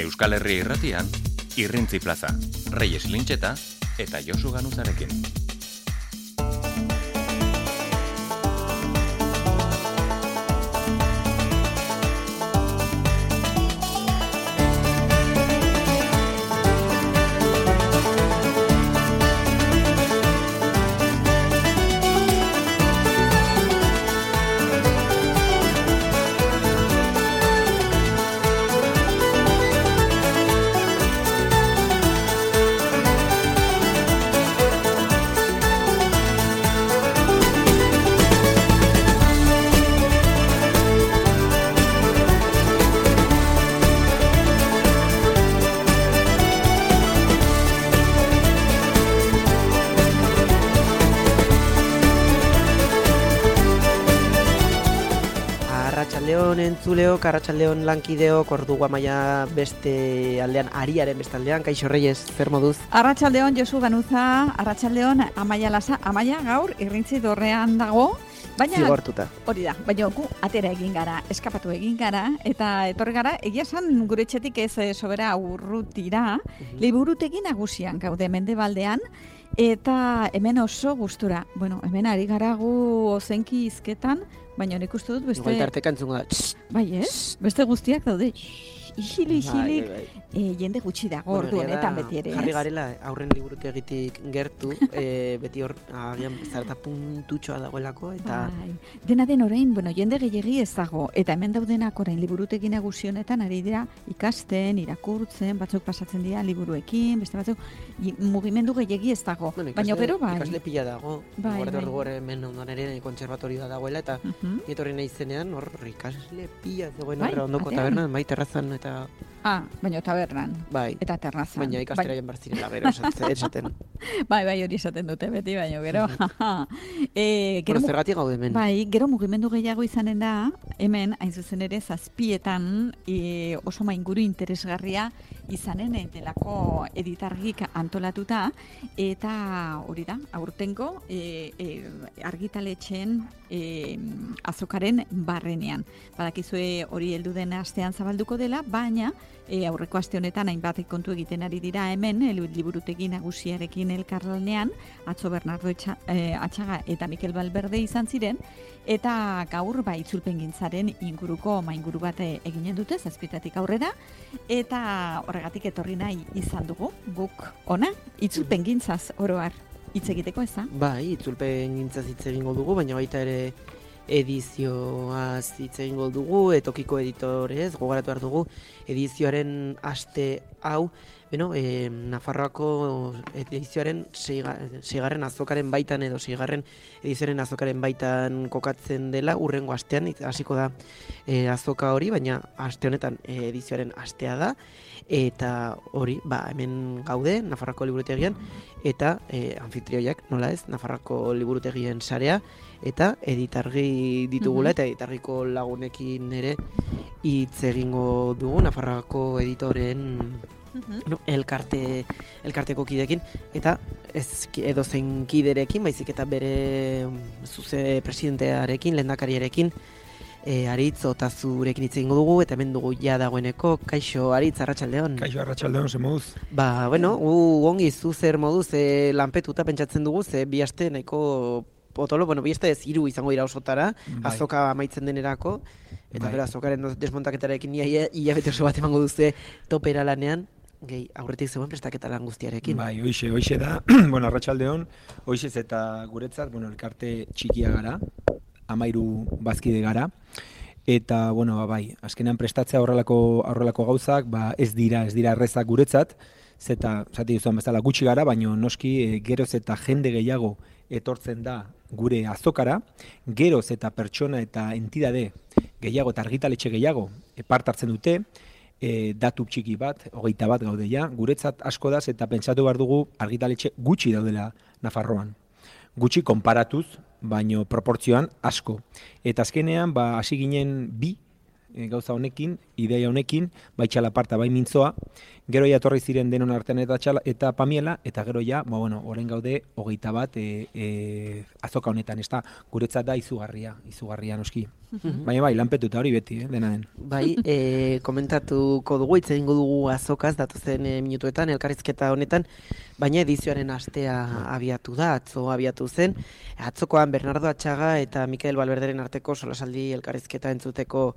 Euskal Herri Irratian, Irrintzi Plaza, Reyes Lintxeta eta Josu Ganuzarekin. Entzuleok, arratsaldeon lankideok, ordugu amaia beste aldean, ariaren beste aldean, Kaixo Reyes, zer moduz? Arratsaldeon Josu Ganuza, arratsaldeon Amaia Lasa, Amaia gaur Irrintzi dorrean dago, baina zigortuta. Hori da, baina gu atera egin gara, eskapatu egin gara, eta etorri gara, egia esan gure etxetik ez sobera urrutira, liburutegi nagusian gaude Mendebaldean, eta hemen oso gustura. Bueno, hemen ari gara gu ozenki hizketan, baina nik uste dut beste... Igual tarteka entzungo da. Bai ez, beste guztiak daude. Isilik, jende gutxi dago ordu honetan beti ere. Jarri garela aurren liburutegitik gertu, beti hor agian zarata puntutxoa dagoelako, eta... Bai. Dena den orain, jende gehiegi ez dago, eta hemen daudenak orain liburutegi nagusi honetan ari dira ikasten, irakurtzen, batzuk pasatzen dira liburuekin, beste batzuk, mugimendu gehiegi ez dago. Baina gero bai. Ikasle pila dago, bai. Gore hemen ondoan ere kontserbatorioa dagoela, eta etorri nahi zenean hor ikasle pila zegoen horre ondoko tabernan, bai terrazan eta... Baina tabernan. Bai. Eta terrazan. Baina ikastera jen barzirela gero esaten. Bai, hori esaten dute beti, baina gero. Gero zergatik gaude hemen. Bai, gero mugimendu gehiago izanen da, hemen, hain zuzen ere, zazpietan oso mainguru interesgarria izanen delako editargik antolatuta, eta hori da, aurtengo argitaletxeen azokaren barrenean. Badakizue hori heldu den astean zabalduko dela, baina aurreko aste honetan hainbat kontu egiten ari dira hemen, liburutegi nagusiarekin elkarlanean, atzo Bernardo Atxaga eta Mikel Valverde izan ziren, eta gaur itzulpengintzaren inguruko mainguru bat eginen dute, zazpietatik aurrera, eta horregatik etorri nahi izan dugu, guk ona, itzulpengintzaz oroar hitz egiteko ez da? Bai, itzulpengintzaz hitz egingo dugu, baina baita ere edizioaz hitz egingo dugu, tokiko editorez, gogoratu behar dugu, edizioaren aste hau, Nafarroako edizioaren seigarren azokaren baitan edo seigarren edizioaren azokaren baitan kokatzen dela, urrengo astean hasiko da azoka hori, baina aste honetan edizioaren astea da, eta hori, hemen gaude, Nafarroako liburutegian, eta anfitrioiak, nola ez, Nafarroako liburutegien sarea, eta editargi ditugula, eta editargiko lagunekin ere hitz egingo dugu, Nafarroako editoren elkarteko kidekin, eta ez edozein kiderekin, baizik eta bere zuze presidentearekin, lehendakariarekin, Aritz Otazurekin hitz egingo dugu, eta hemen dugu ja dagoeneko. Kaixo, Aritz, arratsaldeon. Kaixo, arratsaldeon, ze moduz? Ongi zu zer moduz, lanpetuta pentsatzen dugu, ze bi aste nahiko potolo, bi aste ez 3 izango dira osotara, azoka amaitzen denerako, eta bera azokaren desmontaketarekin hilabete oso bat emango duze topera lanean, aurretik zegoen prestaketa lan guztiarekin. Bai, hoixe da, arratsaldeon, hoixez eta guretzat, elkarte txikia gara, 13 bazkide gara, eta, azkenean prestatzea horrelako gauzak, ez dira errezak guretzat, zeta, zati duzuan bezala gutxi gara, baina noski geroz eta jende gehiago etortzen da gure azokara, geroz eta pertsona eta entidade gehiago eta argitaletxe gehiago parte hartzen dute, datu txiki bat, 21 gaude ja, guretzat asko da, eta pentsatu behar dugu argitaletxe gutxi daudela Nafarroan. Gutxi konparatuz, baino proportzioan asko. Eta azkenean, hasi ginen bi gauza honekin, ideia honekin, bai txalaparta, bai mintzoa, gero ja etorri ziren denon artean eta pamiela, eta gero ja, orain gaude 21 azoka honetan, ez da, guretzat da izugarria noski. Baina bai, lanpetuta hori beti, dena den. Bai, komentatuko dugu, hitz egingo dugu azokaz, datozen minutuetan, elkarrizketa honetan, baina edizioaren astea abiatu da, atzo abiatu zen. Atzokoan Bernardo Atxaga eta Mikel Valverderen arteko solasaldi elkarrizketa entzuteko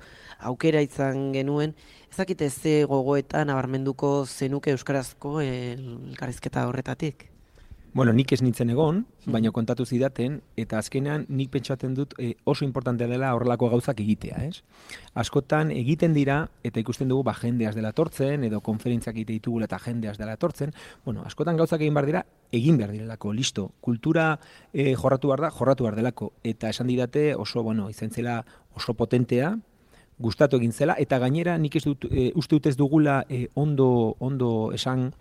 aukera izan genuen. Ezakite ze gogoetan nabarmenduko zenuke euskarazko elkarrizketa horretatik? Bueno, nik ez nintzen egon, baina kontatu zidaten, eta azkenean nik pentsatzen dut oso importantea dela horrelako gauzak egitea, ez? Askotan egiten dira, eta ikusten dugu jendeaz dela tortzen, edo konferentziak egite ditugula eta jendeaz dela tortzen, askotan gauzak egin behar dira, egin behar direlako, listo. Kultura jorratu behar delako, eta esan didate oso, izan zela oso potentea, gustatu egin zela, eta gainera nik ez dut, uste dut ez dugula ondo esan,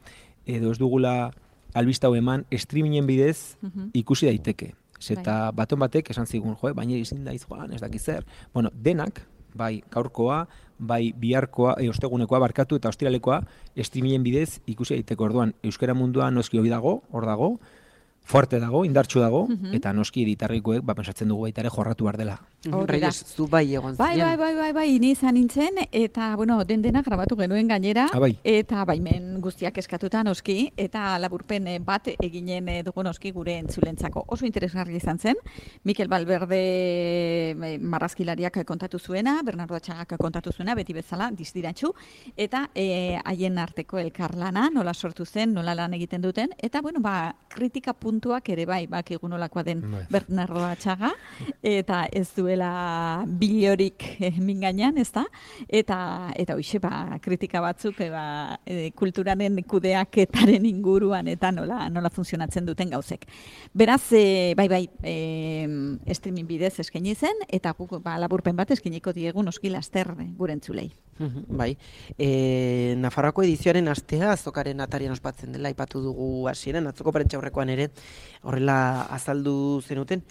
edo ez dugula albista hau eman, streamingen bidez ikusi daiteke. Eta baton batek esan zigun, baina izin daiz joan, ez dakiz zer. Denak, bai gaurkoa, bai biharkoa, ostegunekoa barkatu eta ostiralekoa, streamingen bidez ikusi daiteke. Orduan, euskara mundua noski hori dago, hor dago, fuerte dago, indartsu dago, eta noski editarrikoek pentsatzen dugu baita ere jorratu behar dela. Reyes, zu bai egon ziren. Bai, ni izan nintzen, eta, dena grabatu genuen gainera, eta baimen guztiak eskatuta noski, eta laburpen bat eginen dugu noski gure entzulentzako. Oso interesgarri izan zen, Mikel Valverde marrazkilariak kontatu zuena, Bernardo Atxagak kontatu zuena, beti bezala, dizdirantxu, eta haien arteko elkarlana, nola sortu zen, nola lan egiten duten, eta, kritika puntuak ere bai, bakigu nolakoa den Bernardo Atxaga, eta ez duela bilorik mingainan, ez da? Eta hoxe, kritika batzuk kulturaren kudeaketaren inguruan eta nola funtzionatzen duten gauzek. Beraz, streaming bidez eskaini zen, eta guk laburpen bat eskainiko diegu noski laster gure entzulei. Bai, Nafarroako edizioaren astea azokaren atarian ospatzen dela, aipatu dugu hasieran, atzoko prentsaurrekoan ere horrela azaldu zenuten,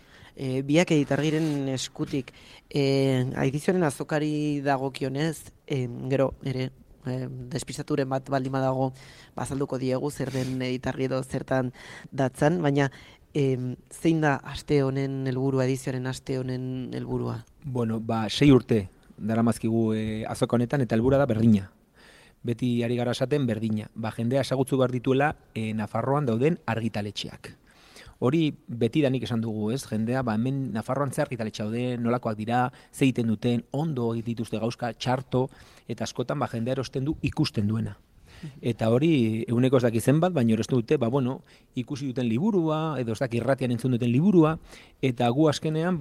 biak editargiren eskutik. Edizioaren azokari dagokionez, gero ere despistaturen bat baldin badago bazalduko diegu zer den editargi edo zertan datzan, baina zein da aste honen helburua, edizioaren aste honen helburua? 6 urte daramazkigu azoka honetan, eta helburua da berdina. Beti ari gara esaten berdina. Jendea esagutzu behar dituela Nafarroan dauden argitaletxeak. Hori beti danik esan dugu, ez? Jendea, hemen Nafarroan ze argitaletxe daude, nolakoak dira, ze egiten duten, ondo dituzte gauzka, txarto, eta askotan jendea erosten du ikusten duena. Eta hori, eguneko ez daki zenbat, baina erosten dute, ikusi duten liburua, edo ez daki irratian entzun duten liburua, eta gu askenean,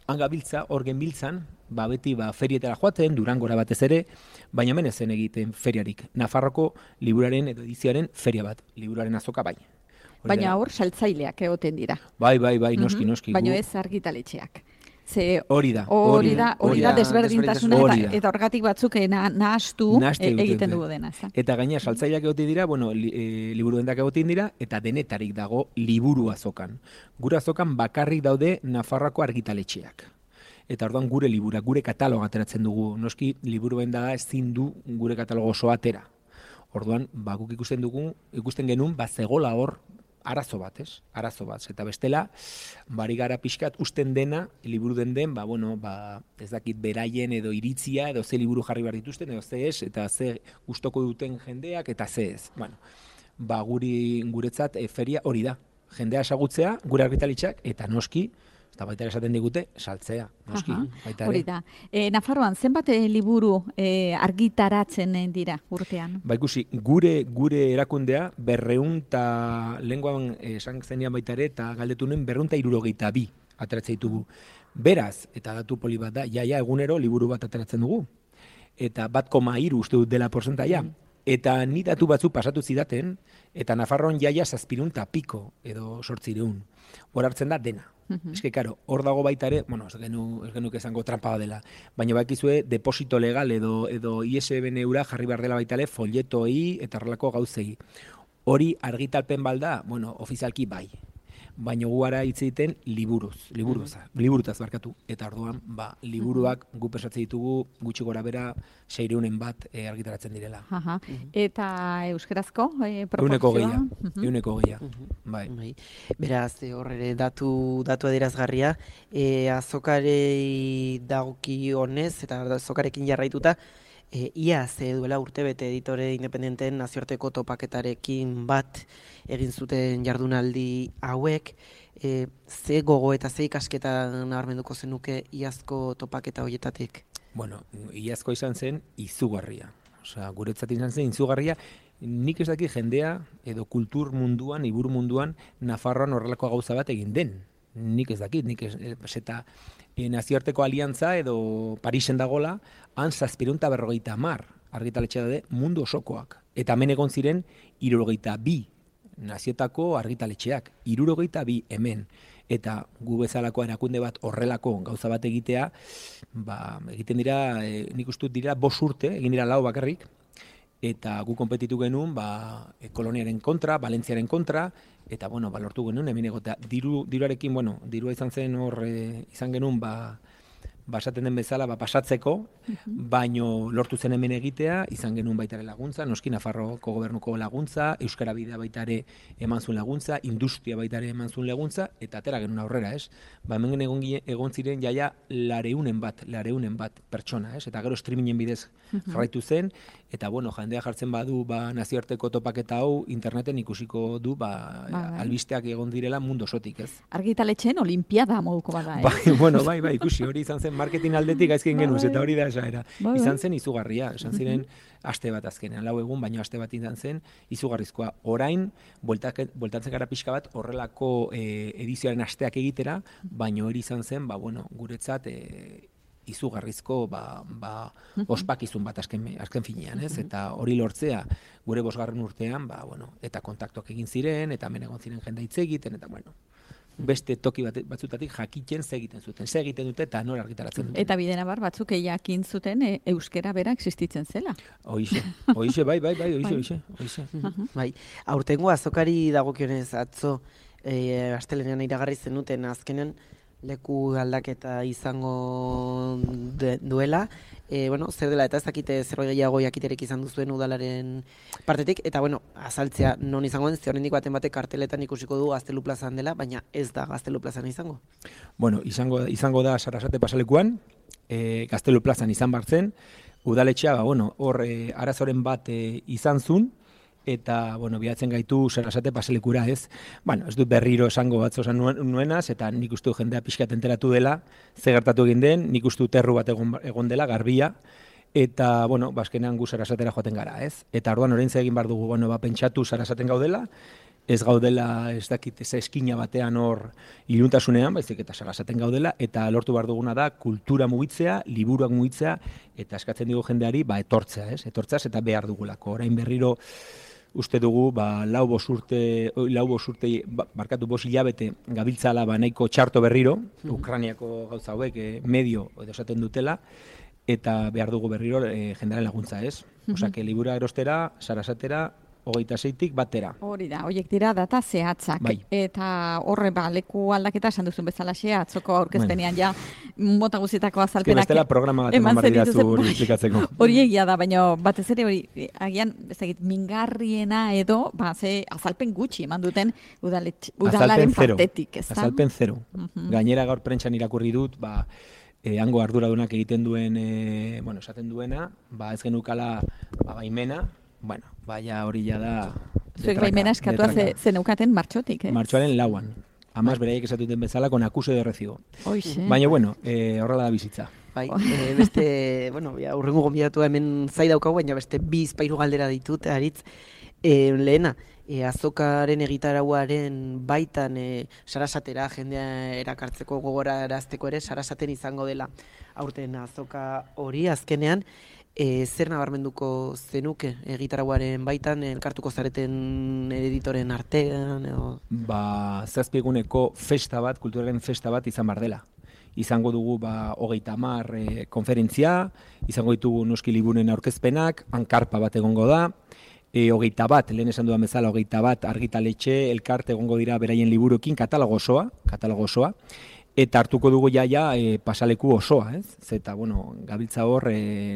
hangabiltza, hor genbiltzan, beti ferietara joaten, Durangora batez ere, baina hemen ezen egiten feriarik. Nafarroko liburaren edo edizioaren feria bat, liburaren azoka bai. Baina hor saltzaileak egoten dira. Bai, noski. Baina ez argitaletxeak. Hori da desberdintasuna eta horgatik batzuk nahastu egiten dugu dena. Eta gaina saltzaileak egoten dira, liburuendak egoten dira, eta denetarik dago liburu azokan. Gure azokan bakarrik daude Nafarroako argitaletxeak. Eta orduan gure libura, gure kataloga ateratzen dugu. Noski, liburuen da ezin du gure katalogo oso atera. Orduan, guk ikusten genuen, zegola hor, arazo bat, ez? Arazo bat. Eta bestela, bari gara pixkat usten dena, liburu den, ez dakit beraien edo iritzia, edo ze liburu jarri behar dituzten, edo ze ez, eta ze gustoko duten jendeak, eta ze ez. Guretzat feria hori da. Jendea esagutzea, gure argitalitxak, eta noski, eta baita esaten digute, saltzea, noski. Hori da. Nafarroan, zenbat liburu argitaratzen dira urtean? Ikusi, gure erakundea, 200 lenguan esan zenean baita ere, eta galdetu nuen 262 ateratzen ditugu. Beraz, eta datu poli bat da, egunero liburu bat ateratzen dugu. Eta 1,3 uste dut dela porcentaia. Eta ni datu batzuk pasatu zidaten, eta Nafarroan 700 piko edo 800. Hor hartzen da dena. Ez que, karo, hor dago baita ere, ez genuk esango trampa dela, baina bakizue deposito legal edo ISBN eura jarri behar dela baita ere folletoi eta horrelako gauzei. Hori argitalpen balda, ofizialki bai. baina guara hitz egiten liburutaz barkatu. Eta orduan, liburuak gu pesatzen ditugu gutxi gora bera 600 bat argitaratzen direla. Eta euskerazko proportzioa? Euneko gehiagia. Bai. Beraz, horre datu adierazgarria, azokarei dagoki honez, eta azokarekin jarraituta, iaz duela urtebete editore independenteen nazioarteko topaketarekin bat egin zuten jardunaldi hauek, ze gogo eta ze ikasketa nabarmenduko zenuke iazko topaketa horietatik? Bueno, iazko izan zen izugarria. Osea, guretzat izan zen izugarria, nik ez dakit jendea edo kultur munduan, iburu munduan, Nafarroan horrelako gauza bat egin den. Nik ez dakit, eta nazioarteko aliantza edo Parisen dagola, han 750 argitaletxe daude mundu osokoak. Eta hemen egon ziren 62 naziotako argitaletxeak, 62 hemen. Eta gu bezalako erakunde bat horrelako gauza bat egitea, egiten dira, nik uste dira 5 urte, egin dira 4 bakarrik, eta gu konpetitu genuen koloniaren kontra, Valentziaren kontra, eta lortu genuen hemen egotea. Diruarekin, dirua izan zen izan genuen esaten den bezala pasatzeko, baino lortu zen hemen egitea, izan genuen baitare laguntza, noski Nafarroko gobernuko laguntza, Euskara Bidea baitare eman zuen laguntza, industria baitare eman zuen laguntza, eta atera genuen aurrera, ez? Hemen egon ziren jaia 200 bat pertsona, ez? Eta gero streamingen bidez jarraitu zen, eta jendea jartzen badu nazioarteko topaketa hau, interneten ikusiko du albisteak egon direla mundu osotik, ez? Argitaletxeen olimpiada moduko bada, Bai, ikusi, hori izan zen marketing aldetik gaizkin genuz, eta hori da esaera. Izan zen izugarria, esan ziren aste bat azkenean, 4 egun, baino aste bat izan zen izugarrizkoa. Orain, bueltatzen gara pixka bat horrelako edizioaren asteak egitera, baino hori izan zen, guretzat izugarrizko ospakizun bat azken finean, ez? Eta hori lortzea gure 5. urtean, eta kontaktuak egin ziren, eta hemen egon ziren jende hitz egiten, eta beste toki batzutatik jakiten ze egiten dute eta nora argitaratzen dute. Eta bidenabar batzuk jakin zuten euskera bera existitzen zela. Hoixe, bai, hoixe. Bai, aurtengo azokari dagokionez atzo astelenean iragarri zenuten azkenen leku aldaketa izango duela. Zer dela, eta ez dakite zerbait gehiago jakiterek izan duzuen udalaren partetik, eta azaltzea non izango den, oraindik batek karteletan ikusiko du Gaztelu plazan dela, baina ez da Gaztelu plazan izango. Izango da Sarasate pasalekuan, Gaztelu plazan izan bartzen, udaletxea, hor arazoren bat izan zun, eta, bilatzen gaitu Sarasate pasalekura, ez? Ez dut berriro esango batzo esan nuenaz, eta nik uste jendea pixkat enteratu dela, ze gertatu egin den, nik uste terru bat egon dela, garbia, eta, azkenean gu Sarasatera joaten gara, ez? Eta orduan orain egin behar dugu, pentsatu Sarasaten gaudela, ez gaudela, ez dakit, ez eskina batean hor iluntasunean, baizik eta Sarasaten gaudela, eta lortu behar duguna da kultura mugitzea, liburuak mugitzea, eta eskatzen digu jendeari, etortzea, ez? Etortzeaz eta behar dugulako. Orain berriro, uste dugu, 5 urte, barkatu 5 hilabete gabiltzala nahiko txarto berriro, Ukrainiako gauza hauek medio edo esaten dutela, eta behar dugu berriro jendearen laguntza, ez? Osake, libura erostera, Sarasatera, 26tik batera. Hori da, horiek dira data zehatzak. Bai. Eta horre leku aldaketa esan duzun bezala atzoko aurkezpenean mota guztietako azalpenak. Bestela programa bat eman bardidazu hori esplikatzeko. Hori egia da, baina batez ere hori, agian, mingarriena edo, ze azalpen gutxi eman duten udalaren partetik, ez da? Azalpen 0. Gainera gaur prentxan irakurri dut, hango arduradunak egiten duen, esaten duena, ez genukala baimena, hori ja da... Zuek baimena eskatua zeneukaten martxotik, ez? Martxoaren 4. Amaz beraiek esatuten bezala, con acuse de recibo. Hoxe. Baina, horrela da bizitza. Bai, beste, urrengo gonbidatu hemen zai daukagu, baina beste 2 galdera ditut, aritz. Lehena, azokaren egitarauaren baitan Sarasatera jendea erakartzeko gogorarazteko ere, Sarasaten izango dela aurten azoka hori azkenean, zer nabarmenduko zenuke egitarauaren baitan, elkartuko zareten editoren artean? 7 eguneko festa bat, kulturaren festa bat izan bar dela. Izango dugu 30 konferentzia, izango ditugu noski liburunen aurkezpenak, hankarpa bat egongo da, 21, lehen esan dudan bezala, 21 argitaletxe, elkarte egongo dira beraien liburuekin, katalogo osoa, eta hartuko dugu jaia pasaleku osoa, ez? Zeta, bueno, gabiltza hor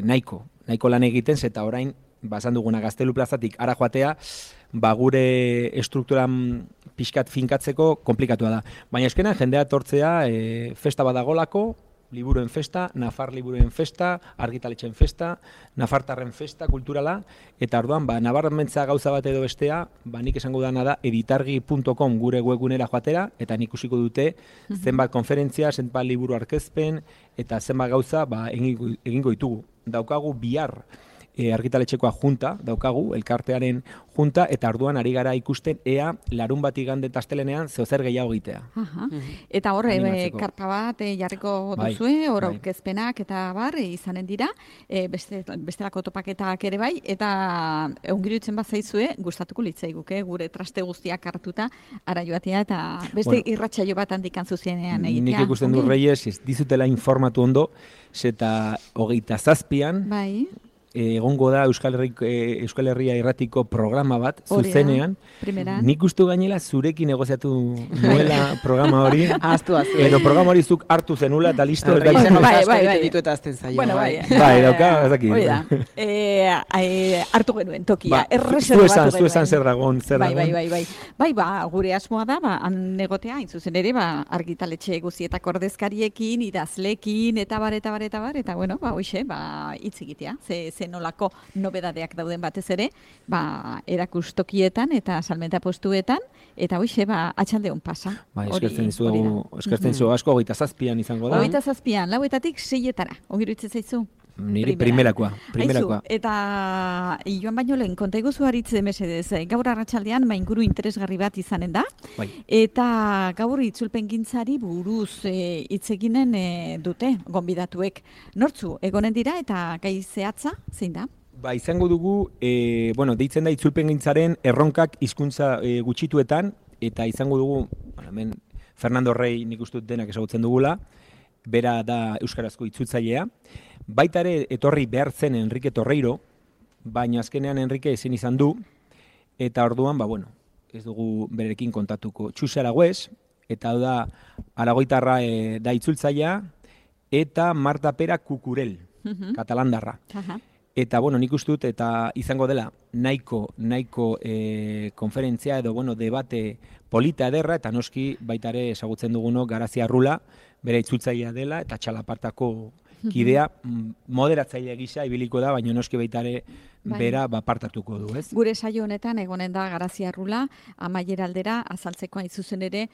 nahiko lan egiten, zeta orain, basan duguna Gaztelu plazatik ara joatea, gure estrukturan pixkat finkatzeko komplikatua da. Baina eskenan jendea etortzea festa badagolako, liburuen festa, Nafar liburuen festa, argitaletxen festa, Nafartarren festa kulturala, eta orduan, nabarmentza gauza bat edo bestea, nik esango dana da editargi.com gure webgunera joatera, eta nik ikusiko dute zenbat konferentzia, zenbat liburu arkezpen, eta zenbat gauza egingo ditugu. Daukagu bihar argitaletxekoa junta, daukagu, elkartearen junta, eta orduan ari gara ikusten ea larun bat igande astelenean zer gehiago egitea. Eta hor, karpa bat jarriko duzue, hor aurkezpenak eta izanen dira, bestelako topaketak ere bai, eta ongirutzen bat zaizue, gustatuko litzaiguke, gure traste guztiak hartuta, ara joatea, eta beste irratsaio bat handikan zuzenean egitea. Nik ikusten du Reyes, ez dizutela informatu ondo, eta 27an, egongo da Euskal Herria Irratiko programa bat, zuzenean. Nik uste gainela zurekin negoziatu nuela programa hori. Edo programa hori zuk hartu zenula eta listo. Bai, ditu eta azten zaio. Bai, dauka, ezaki. Hartu genuen tokia. Zu esan zer dagon. Bai, gure asmoa da, negotea, intzuzen ere, argitaletxe guzietako ordezkariekin, idazlekin, eta bar, eta bueno, hoxe, hitz egitea. Nolako nobedadeak dauden batez ere, erakustokietan eta salmenta postuetan, eta hoxe, atxaldeon pasa. Eskertzen zu asko, 27an izango da. 27an, 4:00 ongirutzen zaizu? Nire primerakoa. Eta joan baino lehen, konta iguzu haritze mesedez, gaur arratsaldean inguru interesgarri bat izanen da, eta gaur itzulpengintzari buruz hitz eginen dute gonbidatuek. Nortzu, egonen dira eta gai zehatza, zein da? Izango dugu, deitzen da itzulpengintzaren erronkak hizkuntza gutxituetan, eta izango dugu, hemen Fernando Rey nik uste dut denak ezagutzen dugula, bera da euskarazko itzultzailea. Baita ere etorri behar zen Enrique Torreiro, baina azkenean Enrique ezin izan du, eta orduan, ez dugu berekin kontatuko. Txuse Aragüez, eta da aragoitarra da itzultzailea, eta Marta Pera Kukurel, katalandarra. Eta, nik uste dut, eta izango dela nahiko konferentzia edo, debate polita ederra, eta noski baita ere ezagutzen dugunok Garazia Arrula, bere itzultzailea dela, eta Txalapartako kidea moderatzaile gisa ibiliko da, baina noski baita ere bera partartuko du, ez? Gure saio honetan egonen da Garazia Arrula, amaiera aldera azaltzeko hain zuzen ere,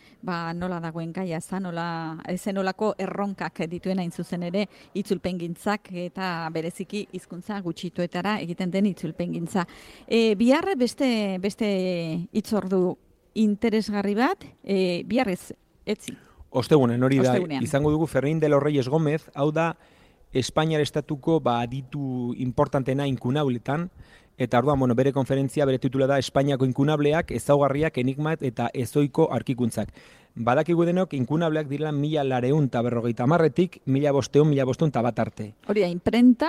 nola dagoen gaia, zenolako erronkak dituen hain zuzen ere itzulpengintzak eta bereziki hizkuntza gutxituetara egiten den itzulpengintza. Bihar beste hitzordu interesgarri bat, biharrez etzi. Ostegunen, hori da, izango dugu Fermín de los Reyes Gómez, hau da Espainiar estatuko aditu importantena inkunabletan, eta orduan, bere konferentzia, bere titula da Espainiako inkunableak, ezaugarriak, enigmat eta ezoiko arkikuntzak. Badakigu denok, inkunableak direla 1950-tik 1500 arte. Hori da, imprenta,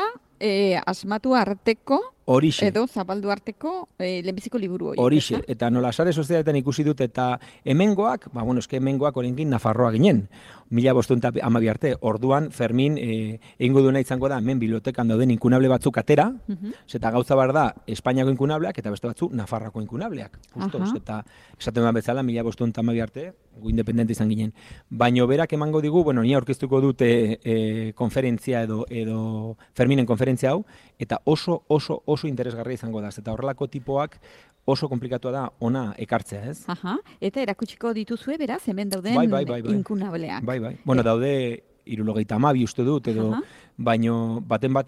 asmatu arteko, Horixe. Edo zabaldu arteko lehenbiziko liburu hori. Horixe, eta nola sare sozialetan ikusi dut, eta hemengoak, hemengoak oraindik Nafarroa ginen, 1512 arte, orduan Fermin egingo duena izango da, hemen bibliotekan dauden inkunable batzuk atera, eta gauza bar da, Espainiako inkunableak, eta beste batzu Nafarroako inkunableak. Eta esaten bat bezala, 1512 arte, gu independente izan ginen. Baina berak emango digu, ni aurkeztuko dute konferentzia edo Ferminen konferentzia hau, eta oso interesgarria izango da, eta horrelako tipoak oso komplikatua da ona ekartzea, ez? Eta erakutsiko dituzue, beraz, hemen dauden inkunableak. Bai. Daude 72 uste dut, edo, baino baten bat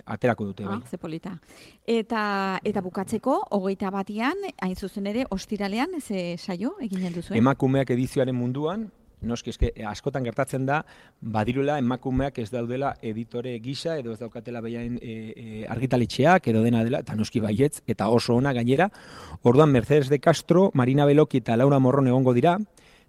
aterako dute. Ze polita. Eta bukatzeko, 21an, hain zuzen ere, ostiralean, ze saio eginen duzuen? Emakumeak edizioaren munduan, noski askotan gertatzen da, badirula emakumeak ez daudela editore gisa, edo ez daukatela behain argitaletxeak, edo dena dela, eta noski baietz, eta oso ona gainera. Orduan Mercedes de Castro, Marina Beloki eta Laura Morron egongo dira,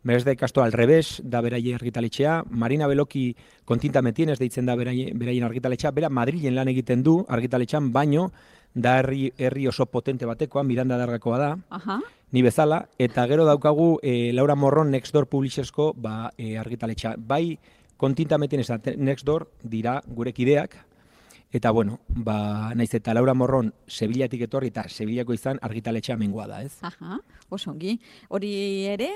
Mercedes de Castro al revés da beraien argitaletxea, Marina Beloki kontinta metien ez deitzen da beraien argitaletxea, bera Madrilen lan egiten du argitaletxean, baino da herri oso potente batekoa, Miranda Dargakoa da, Aha. ni bezala, eta gero daukagu Laura Morron Nextdoor Publishersko argitaletxa. Bai, kontintameten ez da, Nextdoor dira gure kideak, eta bueno, naiz eta Laura Morron Sevillatik etorri eta Sevillako izan argitaletxa mengoa da, ez? Aha, oso ongi. Hori ere,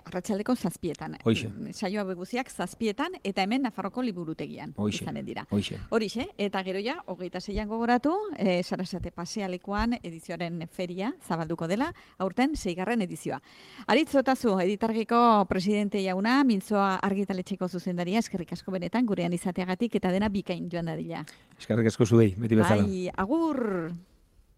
arratsaldeko 7etan. Hoixe. Saio hauek guztiak 7etan eta hemen Nafarroko liburutegian izanen dira. Horixe, eta gero ja, 26an gogoratu, Sarasate pasealekuan edizioaren feria zabalduko dela, aurten 6. edizioa. Aritz Otazu, Editargiko presidente jauna, Mintzoa argitaletxeko zuzendaria, eskerrik asko benetan gurean izateagatik eta dena bikain joan dadila. Eskerrik asko zuei, beti bezala. Bai, agur!